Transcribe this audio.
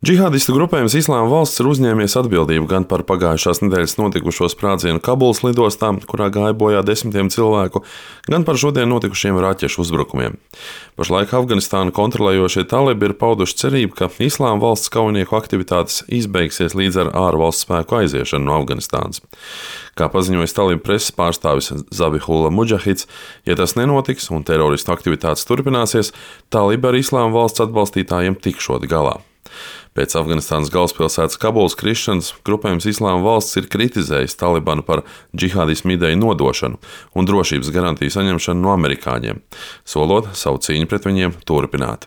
Džihādistu grupējums Islāma valsts ir uzņēmies atbildību gan par pagājušās nedēļas notikušo sprādzienu Kabulas lidostā, kurā gāja bojā desmitiem cilvēku, gan par šodien notikušiem raķešu uzbrukumiem. Pašlaik Afganistānu kontrolējošie talibi ir pauduši cerību, ka Islāma valsts kaujinieku aktivitātes izbeigsies līdz ar ārvalstu spēku aiziešanu no Afganistānas. Kā paziņojis talibu preses pārstāvis Zabihullah Mudžahids, ja tas nenotiks un teroristu aktivitātes turpināsies, talibi ar Islāma valsts atbalstītājiem tikšot galā. Pēc Afganistānas galvaspilsētas Kabulas krišanas grupējums Islāma valsts ir kritizējis Talibanu par džihādismu ideju nodošanu un drošības garantiju saņemšanu no amerikāņiem, solot savu cīņu pret viņiem turpināt.